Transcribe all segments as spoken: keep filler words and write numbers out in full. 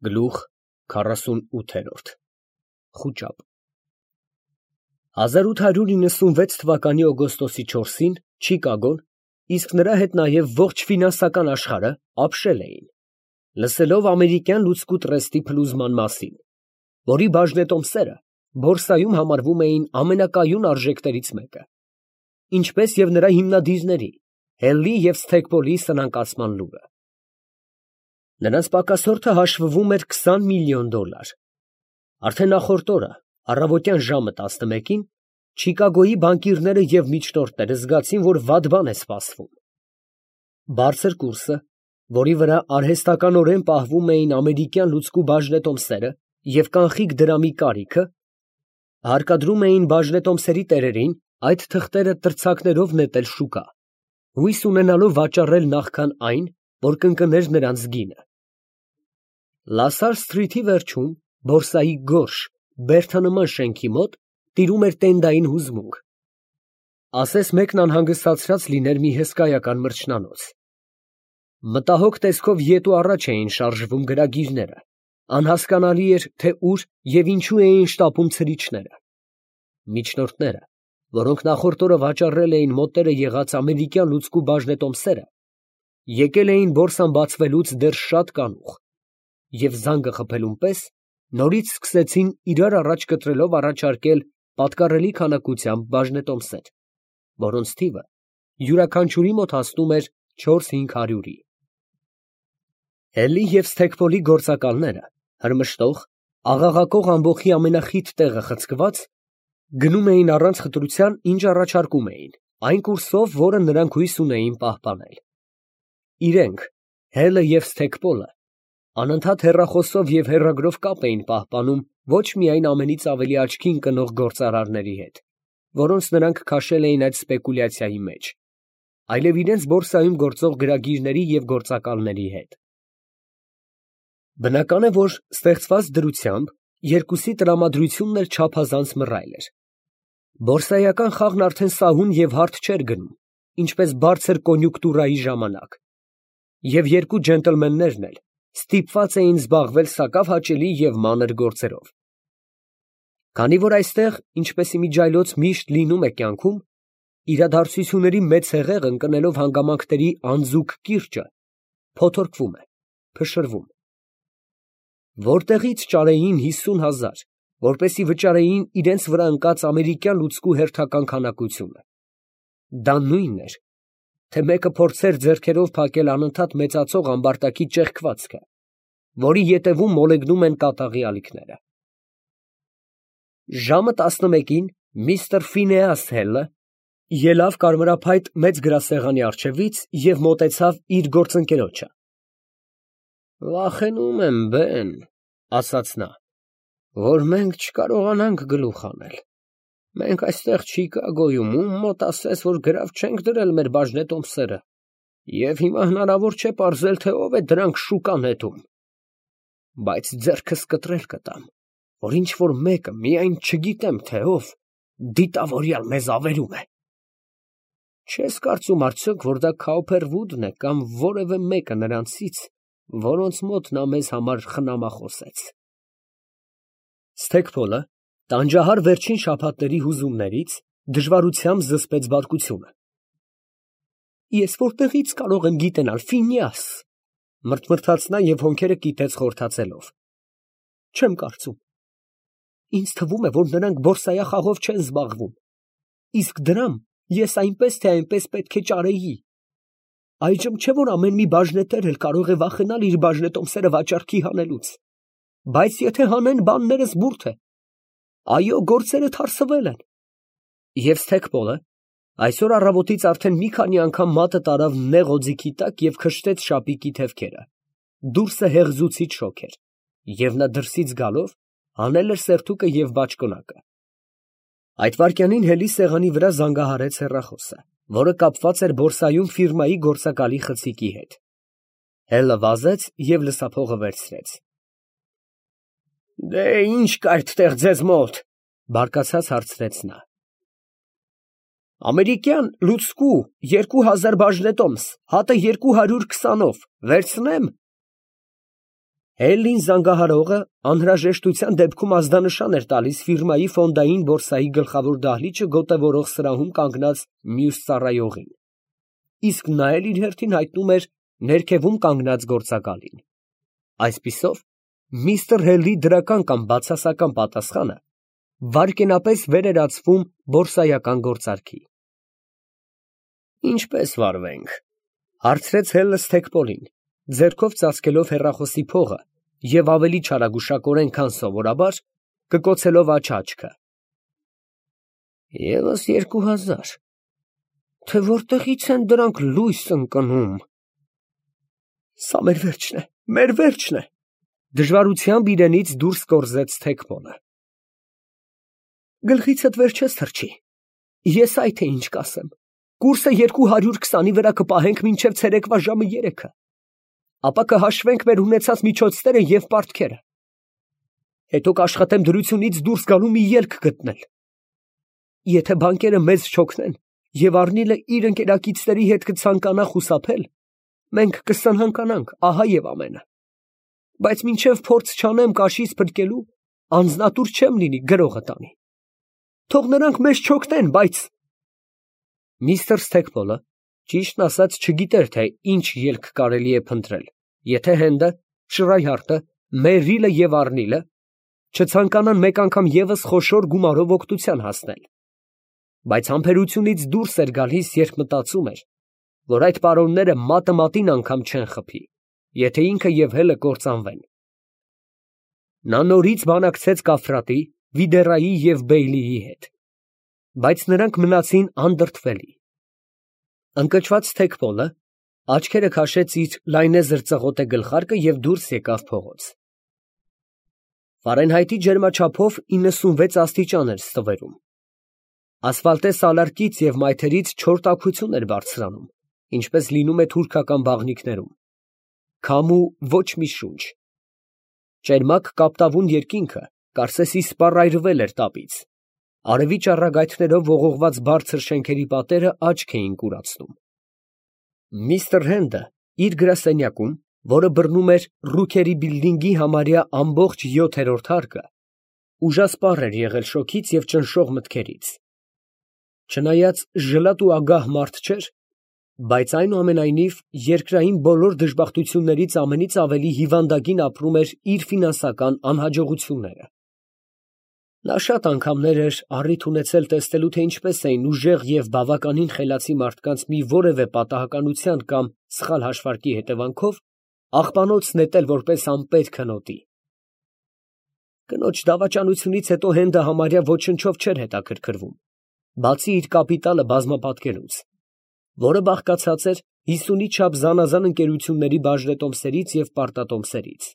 Գլուխ քառասունութ Խուճապ հազար ութ հարյուր իննսունվեց թվականի օգոստոսի չորսին Չիկագոն, իսկ նրա հետ նաև ողջ ֆինանսական աշխարհը ապշել էին, լսելով ամերիկյան լուծկու տրեստի փլուզման մասին, որի բաժնետոմսերը բորսայում համարվում էին ամենակայուն արժեքներից մեկը, ինչպես և նրա հիմնադիրների՝ Հելլի և Սթեքպոլի սնանկացման լուրը։ Նրանց պակասորթը հաշվվում էր քսան միլիոն դոլար։ Արդեն նախորդ օրը, առավոտյան ժամը տասնմեկին, Չիկագոյի բանկիրները և միջնորդները զգացին, որ վատ բան է սպասվում։ Բարձր կուրսը, որի վրա արհեստականորեն պահվում էին ամերիկյան լուծկու բաժնետոմսերը և կանխիկ դրամի կարիքը, հարկադրում էին բաժնետոմսերի տերերին այդ թղթերը տրցակներով նետել շուկա, հույս ունենալով վաճառել նախքան այն, որ կընկներ նրանց գինը։ Լասար սթրիթի վերջում, բորսայի գորշ, բերդանման շենքի մոտ տիրում էր տենդային հուզմունք։ Ասես մեկն անհանգստացած լիներ մի հսկայական մրջնանոց։ Մտահոգ տեսքով ետ ու առաջ էին շարժվում գրագիրները, անհասկանալի էր, թե ուր և ինչու էին շտապում ցրիչները։ Միջնորդները, որոնք նախորդ օրը վաճառել էին մոտերը եղած ամերիկյան լուծկու բաժնետոմսերը, եկել էին բորսան բացվելուց դեռ շատ կանուխ և զանգը խփելուն պես նորից սկսեցին իրար առաջ կտրելով առաջարկել պատկառելի քանակությամբ բաժնետոմսեր, որոնց թիվը յուրաքանչյուրի մոտ հասնում էր չորս֊հինգ հարյուրի։ Հելլի և Սթեքպոլի գործակալները, հրմշտող, աղաղակող ամբոխի ամենախիտ տեղը խցկված, գնում էին առանց խտրության, ինչ առաջարկում էին, այն կուրսով, որը նրանք հույս ունեին պահպանել։ Իրենք, Հելը և Սթեքպոլը, անընդհատ հեռախոսով և հեռագրով կապ էին պահպանում ոչ միայն ամենից ավելի աչքի ընկնող գործարարների հետ, որոնց նրանք քաշել էին այդ սպեկուլյացիայի մեջ, այլև իրենց բորսայում գործող գրագիրների և գործակալների հետ։ Բնական է, որ ստեղծված դրությամբ երկուսի տրամադրությունն էլ չափազանց մռայլ էր։ Բորսայական խաղն արդեն սահուն և հարթ չէր գնում, ինչպես բարձր կոնյուկտուրայի ժամանակ, և երկու ջենտլմեններն էլ ստիպված էին զբաղվել սակավ հաճելի և մանր գործերով։ Քանի որ այստեղ, ինչպես իմիջիայլոց միշտ լինում է կյանքում, իրադարձությունների մեծ հեղեղ ընկնելով հանգամանքների անձուկ կիրճը փոթորկվում է, փշրվում։ Որտեղի՞ց ճարեին հիսուն հազար, որպեսզի վճարեին իրենց վրա ընկած ամերիկյան լուծկու հերթական քանակությունը։ Դա նույնն էր, թե մեկը փորձեր ձեռքերով փակել անընդհատ մեծացող ամբարտակի ճեղքվածքը, որի ետևում մոլեգնում են կատաղի ալիքները։ Ժամը տասնմեկին միստր Ֆինեաս Հելը ելավ կարմրափայտ մեծ գրասեղանի առջևից և մոտեցավ իր գործընկերոջը։ ֊ Վախենում եմ, բեն, ֊ ասաց նա, ֊ որ մենք չկարողանանք գլուխ հանել։ Մենք այստեղ Չիկագոյում ում մոտ ասես, որ գրավ չենք դրել մեր բաժնետոմսերը, և հիմա հնարավոր չէ պարզել, թե ով է դրանք շուկա նետում։ Բայց ձեռքս կտրել կտամ, որ ինչ֊որ մեկը, միայն չգիտեմ, թե ով, դիտավորյալ մեզ ավերում է։ Չես կարծում արդյոք, որ դա Քաուփերվուդն է կամ որևէ մեկը նրանցից, որոնց մոտ նա մեզ համար խնամախոս էր։ Սթեքպոլը, տանջահար վերջին շաբաթների հուզումներից, դժվարությամբ զսպեց բարկությունը։ Ես որտեղի՞ց կարող եմ գիտենալ, Ֆինեաս, ֊ մռթմռթաց նա և հոնքերը կիտեց խորթացելով։ Չեմ կարծում։ Ինձ թվում է, որ նրանք բորսայախաղով չեն զբաղվում, իսկ դրամ ես այնպես թե այնպես պետք է ճարեի։ Այժմ չէ, որ ամեն մի բաժնետեր էլ կարող է վախենալ իր բաժնետոմսերը վաճառքի հանելուց, բայց եթե հանեն, բաններս բուրդ է։ Այո, գործերը թարսվել են։ Եվ Սթեքպոլը այսօր առավոտից արդեն մի քանի անգամ մատը տարավ նեղ օձիքի տակ և քշտեց շապիկի թևքերը։ Դուրսը հեղձուցիչ շոգ էր, և նա դրսից գալով հանել էր սերթուկը և բաճկոնակը։ Այդ վայրկյանին Հելի սեղանի վրա զանգահարեց հեռախոսը, որը կապված էր բորսայում ֆիրմայի գործակալի խցիկի հետ։ Հելը վազեց և լսափողը վերցրեց։ ֊ Դե ի՞նչ կա այդտեղ ձեզ մոտ, ֊ բարկացած հարցրեց նա։ ֊ Ամերիկյան լուծկու երկու հազար բաժնետոմս, հատը երկու հարյուր քսանով, վերցնե՞մ։ Հելլին զանգահարողը անհրաժեշտության դեպքում ազդանշան էր տալիս ֆիրմայի ֆոնդային բորսայի գլխավոր դահլիճը գոտևորող սրահում կանգնած մյուս ծառայողին, իսկ նա էլ իր հերթին հայտնում էր ներքևում կանգնած գործակալին։ Այսպիսով, միստր Հելլի դրական կամ բացասական պատասխանը վայրկենապես վեր էր ածվում բորսայական գործարքի։ «Ինչպե՞ս վարվենք», հարցրեց Հելլը Սթեքպոլին, ձեռքով ծածկելով հեռախոսի փողը և ավելի չարագուշակորեն, քան սովորաբար, կկոցելով աջ աչքը։ «ԵՒս երկու հազար, թե որտեղից են դրանք լույս ընկնում»։ «Սա մեր վերջն է, մեր վերջն է», դժվարությամբ իրենից դուրս կորզեց Սթեքպոլը։ «Գլխիցդ վեր չես թռչի, ես այ թե ինչ կասեմ, կուրսը երկու հարյուր քսանի վրա կպահենք մինչև ցերեկվա ժամը երեքը, ապա կհաշվենք մեր ունեցած միջոցները և պարտքերը, հետո կաշխատեմ դրությունից դուրս գալու մի ելք գտնել։ Եթե բանկերը մեզ չօգնեն և Առնիլը իր ընկերակիցների հետ կցանկանա խուսափել, մենք կսնհանկանանք, ահա և ամենը, բայց մինչև փորձ չանեմ կաշից փրկելու, անձնատուր չեմ լինի գրողը տանի։ Թող նրանք մեզ չօգնեն, բայց…» Միստր Սթեքպոլը, ճիշտն ասած, չգիտեր, թե ինչ ելք կարելի է փնտրել, եթե Հենդը, Շրայհարտը, Մերրիլը և Առնիլը չցանկանան մեկ անգամ ևս խոշոր գումարով օգնության հասնել, բայց համբերությունից դուրս էր գալիս, երբ մտածում էր, որ այդ պարոնները մատը մատին անգամ չեն խփի, եթե ինքը և Հելը կործանվեն։ Նա նորից բանակցեց Կաֆրատի, Վիդերայի և Բեյլիի հետ, բայց նրանք մնացին անդրդվելի։ Ընկճված Սթեքպոլը աչքերը քաշեց իր լայնեզր ծղոտե գլխարկը և դուրս եկավ փողոց։ Ֆարենհայթի ջերմաչափով իննսունվեց աստիճան էր ստվերում։ Ասֆալտե սալարկից և մայթերից չոր տաքություն էր բարձրանում, ինչպես լինում է թուրքական բաղնիքներում։ Քամու ոչ մի շունչ։ Ճերմակ կապտավուն երկինքը կարծես իսպառայրվել էր տապից։ Արևի ճառագայթներով ողողված բարձր շենքերի պատերը աչք էին կուրացնում։ Միստր Հենդը իր գրասենյակում, որը բռնում էր Ռուքերի բիլդինգի համարյա ամբողջ յոթերորդ հարկը, ուժասպառ էր եղել շոգից և ճնշող մտքերից։ Չնայած ժլատ ու ագահ մարդ չէր, բայց այնուամենայնիվ երկրային բոլոր դժբախտություններից ամենից ավելի հիվանդագին ապրում էր իր ֆինանսական անհաջողությունները։ Նա շատ անգամներ էր առիթ ունեցել տեսնելու, թե ինչպես էին ուժեղ և բավականին խելացի մարդկանց մի որևէ պատահականության կամ սխալ հաշվարկի հետևանքով աղբանոց նետել որպես անպետք հնոտի։ Կնոջ դավաճանությունից հետո Հենդը համարյա ոչնչով չէր հետաքրքրվում, բացի իր կապիտալը բազմապատկելուց, որը բաղկացած էր հիսունի չափ զանազան ընկերությունների բաժնետոմսերից և պարտատոմսերից։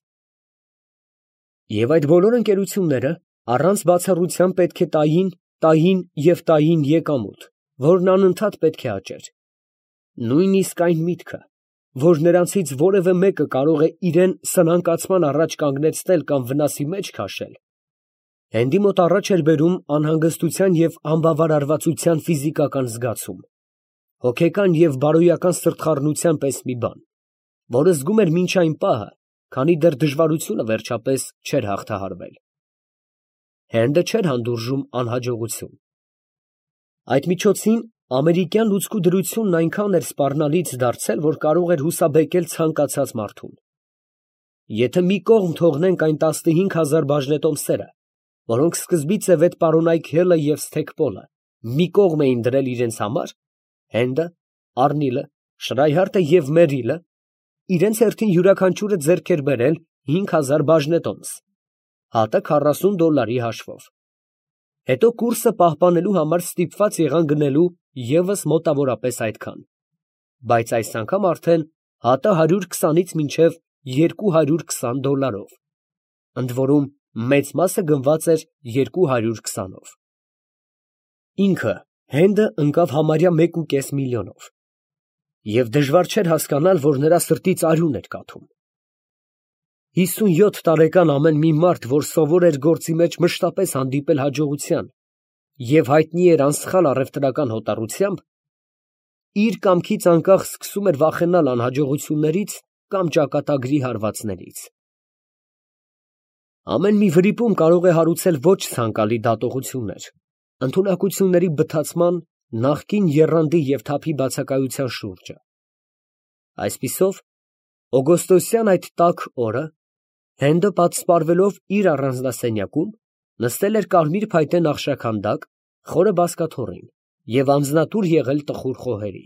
Եվ այդ բոլոր ընկերությունները առանց բացառության պետք է տային, տային և տային եկամուտ, որն անընդհատ պետք է աճեր։ Նույնիսկ այն միտքը, որ նրանցից որևէ մեկը կարող է իրան սնանկացման առաջ կանգնեցնել կամ վնասի մեջ քաշել, Հենդի մոտ առաջ էր բերում անհանգստության և անբավարարվածության ֆիզիկական զգացում, հոգեկան և բարոյական սրտխառնության պես մի բան, որը զգում էր մինչ այն պահը, քանի դեռ դժվարությունը վերջապես չէր հաղթահարվել։ Հենդը չէր հանդուրժում անհաջողություն։ Այդ միջոցին ամերիկյան լուծկու դրությունն այնքան էր սպառնալից դարձել, որ կարող էր հուսաբեկել ցանկացած մարդուն։ Եթե մի կողմ թողնենք այն տասնհինգ հազար բաժնետոմսերը, որոնք սկզբից և այդ պարոնայք Հելը և Սթեքպոլը մի կողմ էին դրել իրենց համար, Հենդը, Առնիլը, Շրայհարտը և Մերրիլը իրենց հերթին յուրաքանչյուրը ձեռք էր բերել հինգ հազար բաժնետոմս, հատը քառասուն դոլարի հաշվով։ Հետո կուրսը պահպանելու համար ստիպված եղան գնելու ևս մոտավորապես այդքան, բայց այս անգամ արդեն հատը հարյուր քսանից մինչև երկու հարյուր քսան դոլարով, ընդ որում մեծ մասը գնված էր երկու հարյուր քսանով։ Ինքը Հենդը ընկավ համարյա մեկ ու կես միլիոնով, և դժվար չէր հասկանալ, որ նրա սրտից արյուն էր կաթում։ Հիսունյոթ տարեկան ամեն մի մարդ, որ սովոր էր գործի մեջ մշտապես հանդիպել հաջողության և հայտնի էր անսխալ առևտրական հոտառությամբ, իր կամքից անկախ սկսում էր վախենալ անհաջողություններից կամ ճակատագրի հարվածներից։ Ամեն մի վրիպում կարող է հարուցել ոչ ցանկալի դատողություններ, ընդունակությունների բթացման, նախկին եռանդի և թափի բացակայության շուրջը։ Այսպիսով, օգոստոսյան այդ տաք օրը Հենդը պատսպարվելով իր առանձնասենյակում, նստել էր կարմիր փայտե նախշաքանդակ, խորը բազկաթոռին և անձնատուր եղել տխուր խոհերի։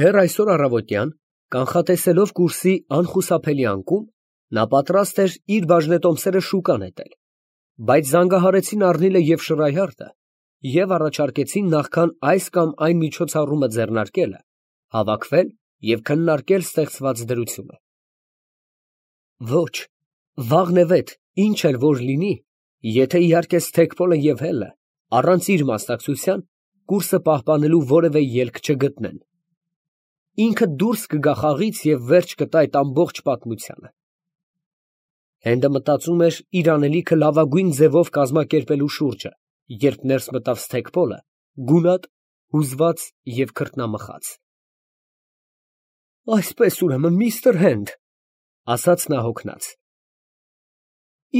Դեռ այսօր առավոտյան, կանխատեսելով կուրսի անխուսափելի անկում, նա պատրաստ էր իր բաժնետոմսերը շուկա նետել, բայց զանգահարեցին Առնիլը և Շռայհարդը և առաջարկեցին նախքան այս կամ այն միջոցառումը ձեռնարկելը, հավաքվել և քննարկել ստեղծված դրությունը։ Ոչ, վաղնևեթ, ինչ էլ որ լինի, եթե իհարկե Սթեքպոլը և Հելը, առանց իր մասնակցության, կուրսը պահպանելու որևէ ելք չգտնեն, ինքը դուրս կգա խաղից և վերջ կտա այդ ամբողջ պատմությանը։ Հենդը մտածում էր իր անելիքը լավագույն ձևով կազմակերպելու շուրջը, երբ ներս մտավ Սթեքպոլը, գունատ, հուզված և քրտնամխած։ Այսպես, ուրեմն, միստր Հենդ, ֊ ասաց նա հոգնած,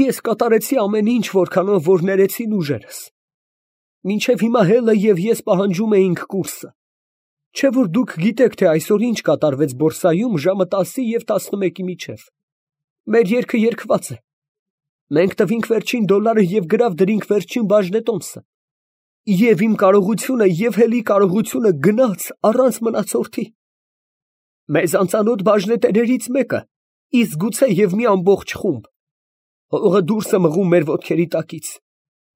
ես կատարեցի ամեն ինչ, որքանով որ ներեցին ուժերս. մինչև հիմա Հելը և ես պահանջում էինք կուրսը, չէ՞ որ դուք գիտեք, թե այսօր ինչ կատարվեց բորսայում ժամը տասի և տասնմեկի միջև. մեր երգը երգված է, մենք տվինք վերջին դոլարը և գրավ դրինք վերջին բաժնետոմսը, և իմ կարողությունը և Հելի կարողությունը գնաց առանց մնացորդի, մեզ անծանոթ բաժնետերերից մեկը, իսկ գուցե և մի ամբողջ խումբ, հողը դուրս է մղում մեր ոտքերի տակից,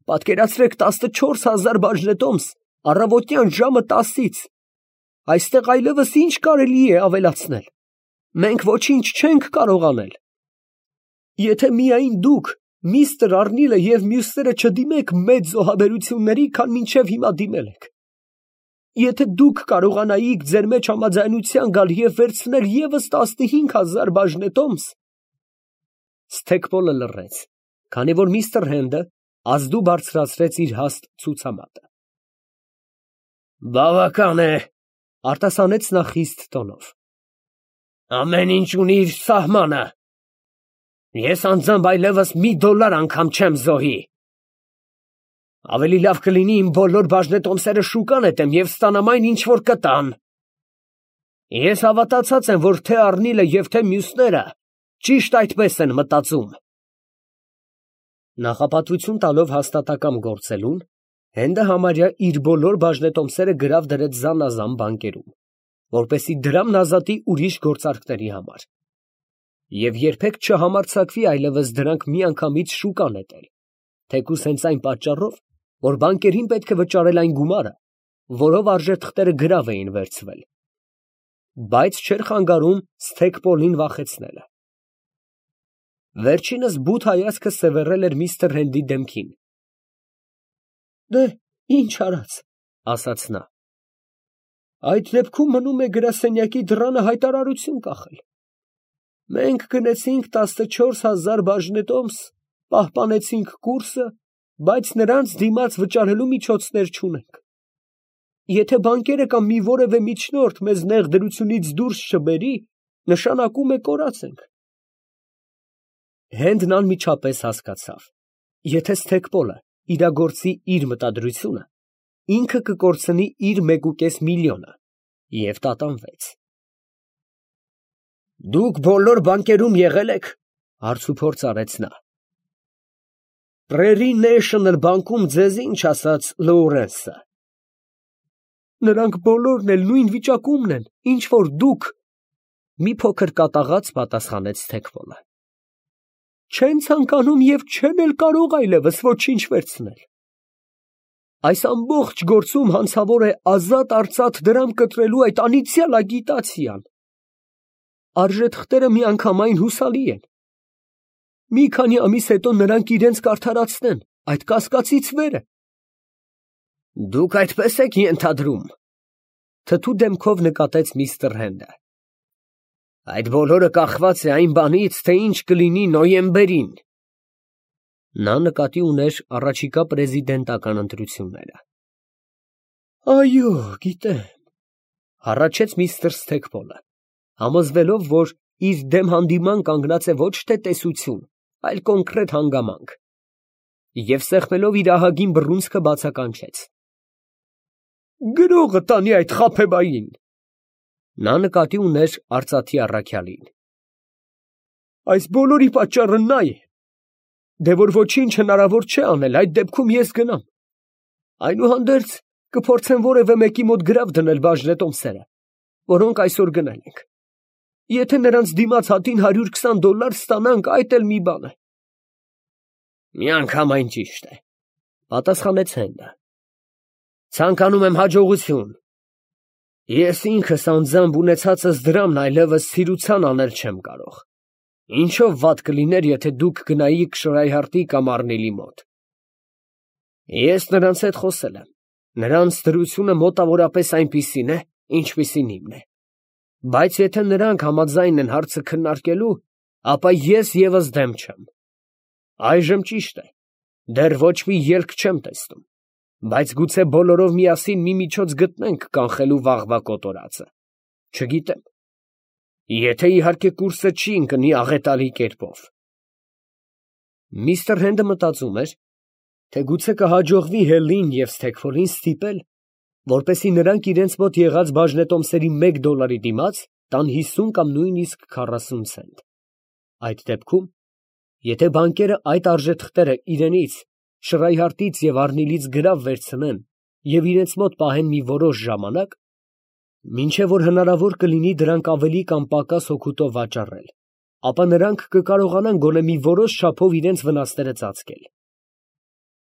պատկերացրեք տասնչորս հազար բաժնետոմս առավոտյան ժամը տասից, այստեղ այլևս ինչ կարելի է ավելացնել, մենք ոչինչ չենք կարող անել, եթե միայն դուք, միստր Առնիլը և մյուսները չդիմեք մեծ զոհաբերությունների, քան մինչև հիմա դիմել եք, եթե դուք կարողանայիք ձեր մեջ համաձայնության գալ և վերցնել ևս տասնհինգ հազար բաժնետոմս… Սթեքպոլը լռեց, քանի որ միստր Հենդը ազդու բարձրացրեց իր հաստ ցուցամատը։ Բավական է, ֊ արտասանեց նա խիստ տոնով, ամեն ինչ ունի իր սահմանը, ես անձամբ այլևս մի դոլար անգամ չեմ զոհի, ավելի լավ կլինի իմ բոլոր բաժնետոմսերը շուկա նետեմ և ստանամ այն, ինչ որ կտան, ես հավատացած եմ, որ թե Առնիլը և թե մյուսները ճիշտ այդպես են մտածում։ Նախապատվություն տալով հաստատակամ գործելուն, Հենդը համարյա իր բոլոր բաժնետոմսերը գրավ դրեց զանազան բանկերում, որպեսզի դրամն ազատի ուրիշ գործարքների համար, և երբեք չհամարձակվի այլևս դրանք միանգամից շուկա նետել, թեկուզ հենց այն պատճառով, որ բանկերին պետք է վճարել այն գումարը, որով արժեթղթերը գրավ էին վերցվել, բայց չէր խանգարում Սթեքպոլին վախեցնելը։ Վերջինս բութ հայացքը սևեռել էր միստր Հենդի դեմքին։ Ինչ արած, ֊ ասաց նա, այդ դեպքում մնում է գրասենյակի դռանը հայտարարություն կախել, մենք գնեցինք տասնչորս հազար բաժնետոմս, պահպանեցինք կուրսը, բայց նրանց դիմաց վճարելու միջոցներ չունենք, եթե բանկերը կամ մի որևէ միջնորդ մեզ նեղ դրությունից դուրս չբերի, նշանակում է կորած ենք։ Հենդն անմիջապես հասկացավ, եթե Սթեքպոլը իրագործի իր մտադրությունը, ինքը կկորցնի իր մեկուկես միլիոնը և տատանվեց։ Դուք բոլոր բանկերում եղել եք, ֊ հարցուփորձ արեց նա։ Prairie National բանկում ձեզ ինչ ասաց Լոուրենսը։ Նրանք բոլորն էլ նույն վիճակումն են, ինչ որ դուք, ֊ մի փոքր կատաղած պատասխանեց Սթեքպոլը։ Չեն ցանկանում և չեն էլ կարող այլևս ոչինչ վերցնել։ Այս ամբողջ գործում հանցավոր է ազատ֊արծաթ դրամ կտրելու այդ անիծյալ ագիտացիան։ Արժեթղթերը միանգամայն հուսալի են։ Մի քանի ամիս հետո նրանք իրենց կարդարացնեն, այդ կասկածից վեր է։ Դուք այդպես եք ենթադրում, ֊ թթու դեմքով նկատեց միստր Հենդը։ Այդ բոլորը կախված է այն բանից, թե ինչ կլինի նոյեմբերին։ Նա նկատի ուներ առաջիկա պրեզիդենտական ընտրությունները։ Այո, գիտեմ, ֊ հառաչեց միստր Սթեքպոլը, համոզվելով, որ իր դեմ հանդիման կանգնած է ոչ թե տեսություն, այլ կոնկրետ հանգամանք, և սեղմելով իր ահագին բռունցքը բացականչեց. «Գրողը տանի այդ խաբեբային»։ Նա նկատի ուներ արծաթի առաքյալին։ «Այս բոլորի պատճառը նա է, դե որ ոչինչ հնարավոր չէ անել, այդ դեպքում ես գնամ, այնուհանդերձ կփորձեմ որևէ մեկի մոտ գրավ դնել բաժնետոմսերը, որոնք այսօր գնել ենք, եթե նրանց դիմաց հատին հարյուր քսան դոլար ստանանք, այդ էլ մի բան է»։ «Միանգամայն ճիշտ է, ֊ պատասխանեց Հենդը, ֊ ցանկանում եմ հաջողություն. ես ինքս անձամբ ունեցածս դրամն այլևս սիրության անել չեմ կարող, ինչով վատ կլիներ, եթե դուք գնայիք Շրայհարտի կամ Առնիլի մոտ։ Ես նրանց հետ խոսել եմ, նրանց դրությունը մոտավորապես այնպիսին է, ինչպիսին իմն է, բայց եթե նրանք համաձայն են հարցը քննարկելու, ապա ես ևս դեմ չեմ։ Այժմ ճիշտ է, դեռ ոչ մի ելք չեմ տեսնում, բայց գուցե բոլորով միասին մի միջոց գտնենք կանխելու վաղվա կոտորածը, չգիտեմ, եթե իհարկե կուրսը չի ընկնի աղետալի կերպով»։ Միստր Հենդը մտածում էր, թե գուցե կհաջողվի Հելին և Սթեքֆոլին ստիպել, որպեսզի նրանք իրենց մոտ եղած բաժնետոմսերի մեկ դոլարի դիմաց տան հիսուն կամ նույնիսկ քառասուն ցենտ։ Այդ դեպքում, եթե բանկերը այդ արժեթղթերը իրենից, Շրայհարտից և Առնիլից գրավ վերցնեն և իրենց մոտ պահեն մի որոշ ժամանակ, մինչև որ հնարավոր կլինի դրանք ավելի կամ պակաս հոգուտով վաճառել, ապա նրանք կկարողանան գոնե մի որոշ չափով իրենց վնասները ծածկել։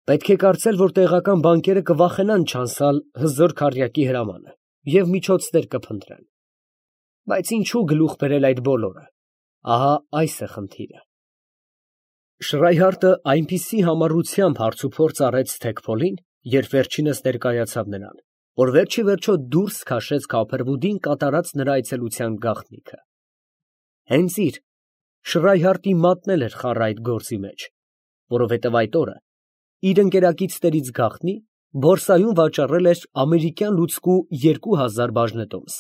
Պետք է կարծել, որ տեղական բանկերը կվախենան չանցալ հզոր քառյակի հրամանը և միջոցներ կփնտրեն։ Բայց ինչու գլուխ բերել այդ բոլորը, ահա այս է խնդիրը։ Շրայհարտը այնպիսի համառությամբ հարցուփորձ արեց Սթեքֆոլին, երբ վերջինս ներկայացավ նրան, որ վերջիվերջո դուրս քաշեց Քափերվուդին կատարած նրա այցելության գաղտնիքը։ Հենց իր՝ Շրայհարտի մատնել էր խառը այդ գործի մեջ, որովհետև այդ օրը իր ընկերակիցներից գաղտնի բորսայում վաճառել էր ամերիկյան լուծկու երկու հազար բաժնետոմս։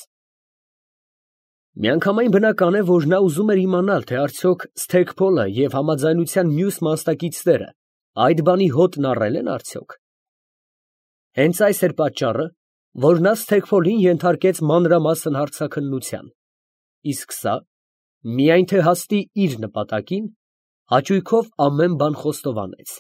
Միանգամայն բնական է, որ նա ուզում էր իմանալ, թե արդյոք Սթեքփոլը և համաձայնության մյուս մասնակիցները այդ բանի հոտն առել են արդյոք։ Հենց այս էր պատճառը, որ նա Սթեքֆոլին ենթարկեց մանրամասն հարցաքննության, իսկ սա, միայն թե հասնի իր նպատակին, հաճույքով ամեն բան խոստովանեց։